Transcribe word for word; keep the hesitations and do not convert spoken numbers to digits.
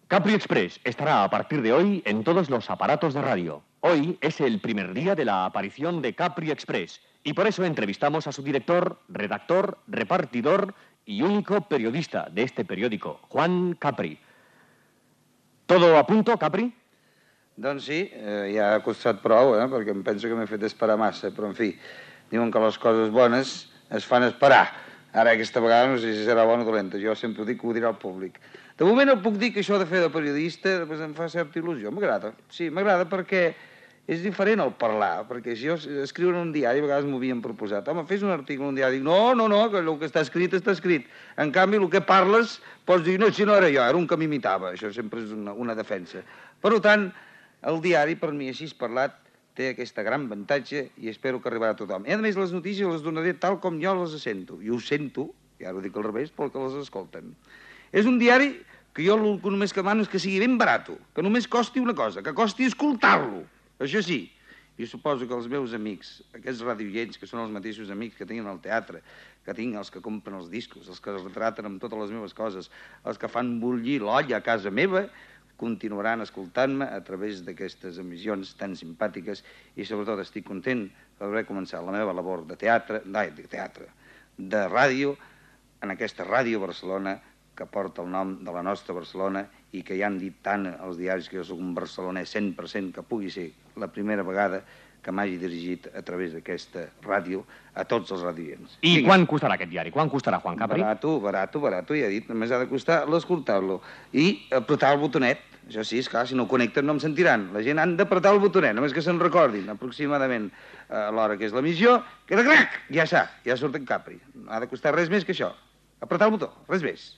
Capri Express estará a partir de hoy en todos los aparatos de radio. Hoy es el primer día de la aparición de Capri Express y por eso entrevistamos a su director, redactor, repartidor y único periodista de este periódico, Juan Capri. ¿Todo a punto, Capri? Doncs sí, eh, ja ha costat prou, eh, perquè em penso que m'he fet esperar massa, però en fi, diuen que les coses bones es fan esperar. Ara aquesta vegada no sé si serà bona o dolenta, jo sempre ho dic que ho dirà el públic. De moment el puc dir que això de fer de periodista pues, em fa certa il·lusió, m'agrada. Sí, m'agrada perquè és diferent el parlar, perquè si jo escriure en un diari, a vegades m'ho havien proposat. Home, fes un article en un diari. Dic, no, no, no, que el que està escrit està escrit. En canvi, el que parles, pots dir, no, si no era jo, era un que m'imitava. Això sempre és una, una defensa. Per tant, el diari, per mi, així parlat, té aquesta gran avantatge i espero que arribarà a tothom. I a més, les notícies les donaré tal com jo les sento. I ho sento, i ara ho dic al revés, pel que les escolten. És un diari que jo el que només que demano és que sigui ben barat, que només costi una cosa, que costi escoltar-lo. Això sí, jo suposo que els meus amics, aquests radioients, que són els mateixos amics que tenen al teatre, que tinc els que compren els discos, els que es retraten amb totes les meves coses, els que fan bullir l'olla a casa meva, continuaran escoltant-me a través d'aquestes emissions tan simpàtiques i sobretot estic content d'haver començat la meva labor de teatre, de teatre, de ràdio, en aquesta Ràdio Barcelona, que porta el nom de la nostra Barcelona i que ja han dit tant els diaris que jo soc un barcelonès cent per cent que pugui ser la primera vegada que m'hagi dirigit a través d'aquesta ràdio a tots els radioients. I Vinga. Quan costarà aquest diari? Quan costarà, Juan Capri? Barato, barato, barato, ja he dit, només ha de costar l'escoltar-lo. I apretar el botonet, això sí, esclar, si no connecten no em sentiran. La gent han d'apretar el botonet, només que se'n recordin, aproximadament a l'hora que és l'emissió, que de crac, ja està, ja surt en Capri. No ha de costar res més que això. Apretar el botó, res més.